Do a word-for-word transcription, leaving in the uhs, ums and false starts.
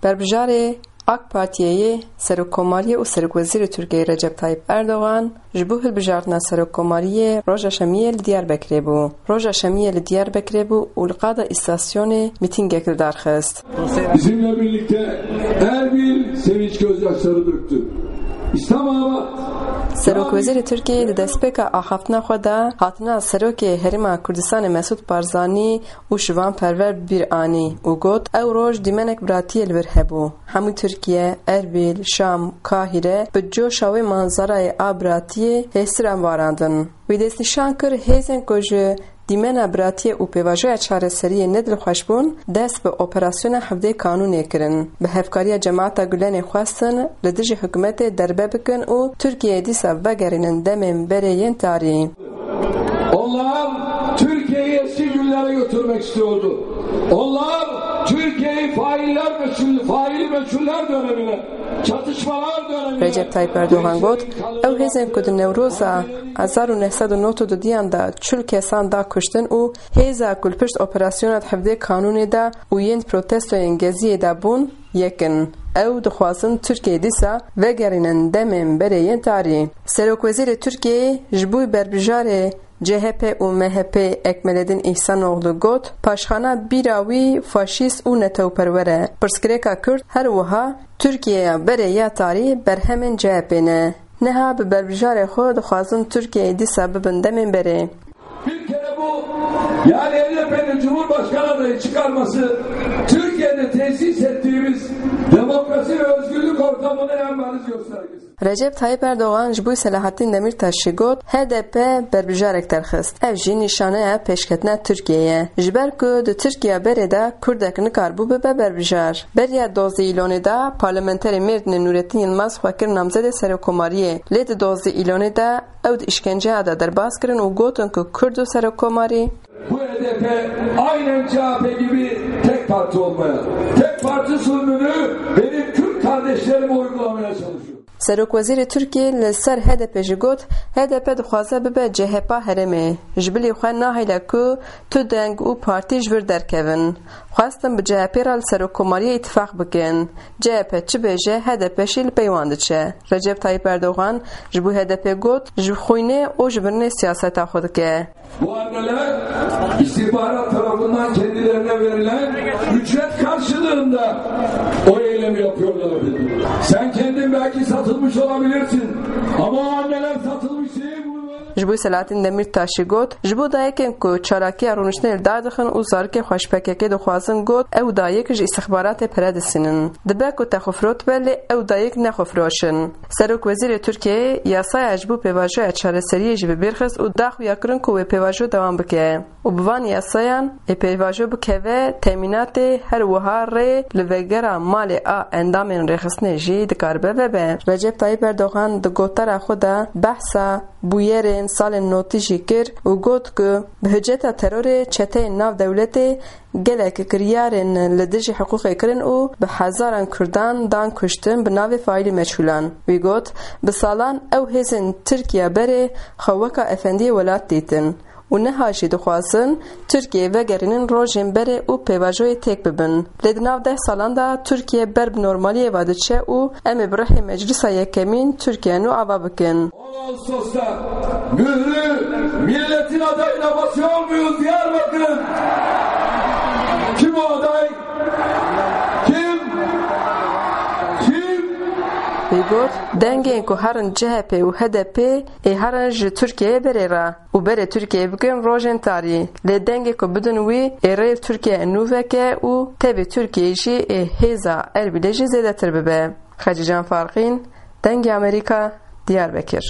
Berbijarê AK Partiyê yê Serokkomariyê û Serokwezîrê Tirkiyeyê Recep Tayyip Erdogan ji bo hilbijartina Serokkomariyê roja Şemiyê li Diyarbekirê bû. Roja Şemiyê li Diyarbekirê bû û li qada îstasyonê mîtîngek li dar xist. Bizimle birlikte Erbil sevinç gözyaşları döktü. İslamabad. Serokwezîrê Tirkiyeyê di destpêka axaftina xwe de hatina Serokê Herêma Kurdistanê Mesûd Barzanî û Şivan Perwer bi bîr anî û got, ew roj dîmenek biratiyê li vir hebû. Hemû Tirkiye, Erbîl, Şam, Kahîre bi coşa wê manzarayê a biratiyê hêsira varandin. Wî destnîşan kir, hêzên ku ji dîmena biratiyê û pêvajoya çareseriyê nedilxweş bûn, dest bi operasyona hevdê Kanûnê kirin. Bi hevkariya cemaeta Gulenê xwestin li dijî hikûmetê derbe bikin û Tirkiyeyê dîsa vegerînin demên berê yên tarî. Onlar Türkiye'yi eski günlere götürmek istiyordu. Onlar Türkiye'yi failler meçhul, faili meçhuller dönemine, çatışmalar dönemine. Recep Tayyip Erdogan got, ew hêzên ku di Newroza hezar û neh sed û nod û dudiyan de çil kesan da kuştin û hêza ku li pişt operasyona di hevdê Kanûnê de û yên protestoyên Geziyê de bûn, yek in. Ew dixwazin Tirkiyeyê dîsa vegerînin demên berê yên tarî. Serokwezîrê Tirkiyeyê ji bo berbijarê C H P û M H P Ekmeledîn Îhsanoğlu got, paşxana bîra wî faşîst û netewperwer e. Pirsgirêka Kurd her wiha Tirkiyeya berê ya tarî berhemên C H P ne. Niha bi berbijarê xwe dixwazin Tirkiyeyê dîsa bibin demên berê. Bir kere bu, yani H D P'nin Cumhurbaşkanı adayı çıkarması Türkiye'de tesis ettiğimiz demokrasi ve özgürlük ortamının en bariz göstergesi. Recep Tayyip Erdogan ji bo Selahattin Demirtaş jî got, H D P berbijarek derxist. Ev jî nîşaneya pêşketina Tirkiyeyê ye. Ji ber ku di Tirkiya berê de Kurdek nikaribû bibe berbijar. Beriya dozdeh Îlonê de parlamenterê Mêrdinê Nurettin Yilmaz xwe kir namzedê serokkomariyê. Lê di dozdeh Îlonê de ew di îşkenceya de derbas kirin û gotin ku Kurd û serokkomarî Bu H D P aynen C H P gibi tek parti olmaya, tek parti zulmünü benim Kürt kardeşlerime uygulamaya çalışıyor. Serokwezîrê Tirkiyê li ser H D P jî got, H D P dixwaze bibe C H P a herêmê. Ji bilî xwe nahêle ku tu deng û partî ji vir derkevin. Xwestin bi C H P re li serokkomariyê îtifaq bikin. C H P çi bêje, H D P jî li pey wan diçe. Recep Tayyip Erdogan ji bo H D P got, ji xwînê û ji birinê siyaseta xwe dike. Bu anneler istihbarat tarafından kendilerine verilen ücret karşılığında o eylemi yapıyorlar dedi. Sen kendin belki satılmış olabilirsin ama o anneler satılmış değil. Bunu Ji bo Selahattin Demirtaş jî got, ji bo dayikên ku çalakiya rûniştinê li dar dixin û zarokên xwe ji P K K dixwazin, got, ew dayik ji îstixbaratê pere disînin. Dibe ku te xwe firotibe, lê ew dayik ne xwe firoşin. Serokwezîrê Tirkiyeyê yasaya ji bo pêvajoya çareseriyê jî bi bîr xist û da xuyakirin ku wê pêvajo dewam bike û bi van yasayan ê pêvajo bikeve temînatê, her wiha rê li vegera malê a endamên rêxistinê jî dikaribe vebe. Recep Tayyip Erdogan di gotara xwe de behsa bûyerên salên notî jî kir û got ku bi hiceta terorê çeteyên nav dewletê gelek kiryarên li dijî hiqûqê kirin û bi hezaran Kurdan dan kuştin bi navê faîlî meçhûlan. Wî got, bi salan ew hêzên Tirkiya berê xwe weka efendiyê welat dîtin û niha jî dixwazin Tirkiyeyê vegerînin rojên berê û pêvajoyê têk bibin. Lê di nav deh salan de Tirkiye ber bi normaliyê ve diçe û em ê bi rihê Meclisa Yekemîn Tirkiye nû ava bikin. On Ağustos'ta mührü milletin adayına basıyor muyuz Diyarbakır'ın? Kim o aday? Kim? Kim? Wî got, dengên ku herin C H P û H D P ê herin ji Tirkiyeyê berê re û berê Tirkiyeyê bikin rojên tarî. Lê dengê ku bidin wî ê rê li Tirkiye nû veke û tevî Tirkiyeyê jî ê hêza Erbîlê jî zêdetir bibe. Xecîcan Farqîn, Dengê Amerîka, Diyarbekir.